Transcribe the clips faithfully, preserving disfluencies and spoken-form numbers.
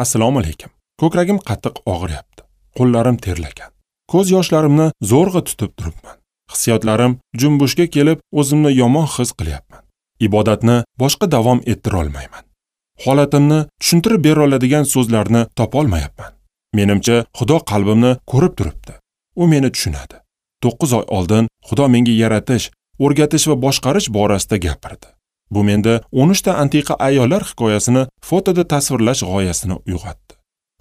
Assalomu alaykum. Ko'kragim qattiq og'riyapti. Qo'llarim terlagan. Ko'z yoshlarimni zo'rg'a tutib turibman. Hissiyotlarim jumbushga kelib, o'zimni yomon his qilyapman. Ibodatni boshqa davom ettira olmayman. Holatimni tushuntirib bera oladigan so'zlarni topa olmayapman. Menimcha, Xudo qalbimni ko'rib turibdi. U meni tushunadi. to'qqiz oy oldin Xudo menga yaratish, o'rgatish va boshqarish borasida gapirdi. Bu menda o'n uchta antiqa ayollar hikoyasini fotoda tasvirlash g'oyasini uyg'otdi.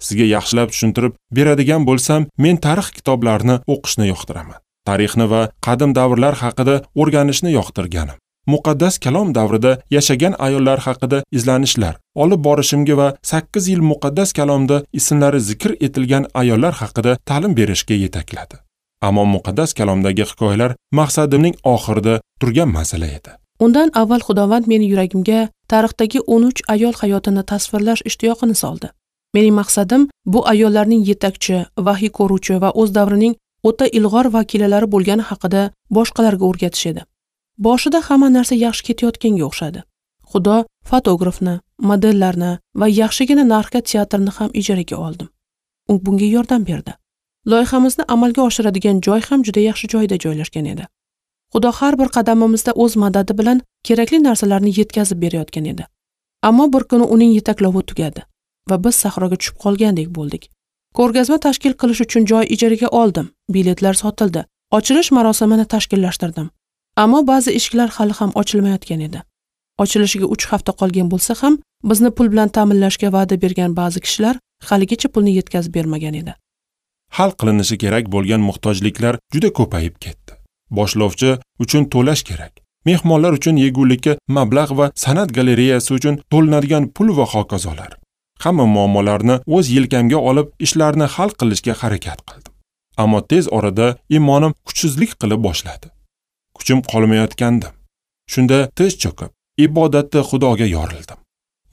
Sizga yaxshilab tushuntirib beradigan bo'lsam, men tarix kitoblarini o'qishni yoqtiraman. Tarixni va qadim davrlar haqida o'rganishni yoqtirganim. Muqaddas kalom davrida yashagan ayollar haqida izlanishlar olib borishimga va sakkiz yil muqaddas kalomda ismlari zikr etilgan ayollar haqida ta'lim berishga yetakladi. Ammo muqaddas kalomdagi hikoyalar maqsadimning oxirida turgan masala edi. Undan avval Xudovand meni yuragimga tarixdagi o'n uch ayol hayotini tasvirlash ishtiyoqini soldi. Mening maqsadim bu ayollarning yetakchi, vahiy ko'ruvchi va o'z davrining o'ta ilg'or vakillari bo'lgani haqida boshqalarga o'rgatish edi. Boshida hamma narsa yaxshi ketayotganga o'xshadi. Xudo fotografni, modellarni va yaxshigina narxga teatrni ham ijaraga oldim. U bunga yordam berdi. Loyihamizni amalga oshiradigan joy ham juda yaxshi joyda joylashgan edi. Xudo har bir qadamimizda o'z madadi bilan kerakli narsalarni yetkazib berayotgan edi. Ammo bir kuni uning yetaklovi tugadi va biz sahroga tushib qolgandek bo'ldik. Ko'rgazma tashkil qilish uchun joy ijaraga oldim, biletlar sotildi, ochilish marosimini tashkillashtirdim. Ammo ba'zi eshiklar hali ham ochilmayotgan edi. Ochilishiga uch hafta qolgan bo'lsa ham, bizni pul bilan ta'minlashga va'da bergan ba'zi kishilar haligacha pulni yetkazib bermagan edi. Hal qilinishi kerak bo'lgan muhtojliklar juda ko'payib ketdi. Boshlovchi uchun to'lash kerak. Mehmonlar uchun yegulikka mablag' va san'at galereyasi uchun to'lanadigan pul va hokazolar. Hamma muammolarni o'z yelkamga olib, ishlarni hal qilishga harakat qildim. Ammo tez orada iymonim kuchsizlik qilib boshladi. Kuchim qolmayotgandim. Shunda tiz cho'kib, ibodatda Xudoga yorildim.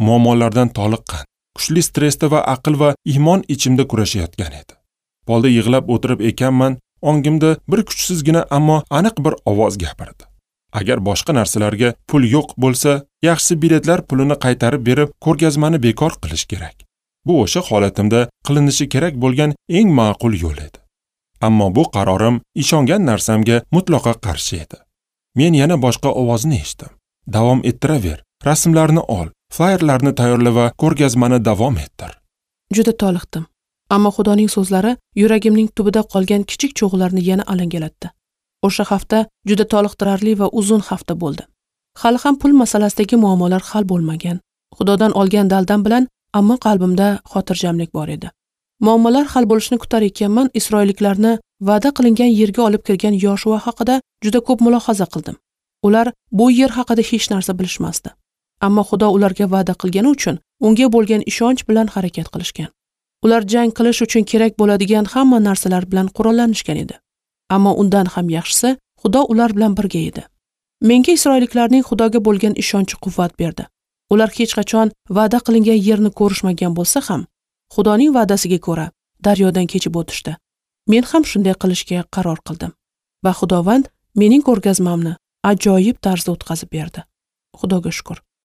Muammolardan toliqqan, kuchli stressda va aql va iymon ichimda kurashayotgan edi. Polda yig'lab o'tirib ekanman, ongimda bir kuchsizgina ammo aniq bir ovoz gapirdi. Agar boshqa narsalarga pul yo'q bo'lsa, yaxshisi biletlar pulini qaytarib berib, ko'rgazmani bekor qilish kerak. Bu o'sha holatimda qilinishi kerak bo'lgan eng ma'qul yo'l edi. Ammo bu qarorim ishongan narsamga mutlaqo qarshi edi. Men yana boshqa ovozni eshitdim. Davom ettiraver, rasmlarni ol, flayerlarni tayyorla va ko'rgazmani davom ettir. Juda toliqdim. Ammo Xudoning so'zlari yuragimning tubida qolgan kichik cho'g'larni yana alangalatdi. O'sha hafta juda toliqtirarli va uzun hafta bo'ldi. Hali ham pul masalasidagi muammolar hal bo'lmagan. Xudodan olgan daldam bilan, ammo qalbimda xotirjamlik bor edi. Muammolar hal bo'lishini kutar ekanman, Isroilliklarni va'da qilingan yerga olib kirgan Yoshua haqida juda ko'p mulohaza qildim. Ular bu yer haqida hech narsa bilishmasdi. Ammo Xudo ularga va'da qilgani uchun unga bo'lgan ishonch bilan harakat qilishgan. Ular jang qilish uchun kerak bo'ladigan hamma narsalar bilan qurollanishgan edi. Ammo undan ham yaxshisi, Xudo ular bilan birga edi. Menga isroilliklarning Xudoga bo'lgan ishonchi quvvat berdi. Ular hech qachon va'da qilingan yerni ko'rishmagan bo'lsa ham, Xudoning va'dasiga ko'ra daryodan kechib o'tishdi. Men ham shunday qilishga qaror qildim va Xudovand mening ko'rgazmamni ajoyib tarzda o'tkazib berdi. Xudoga shukr.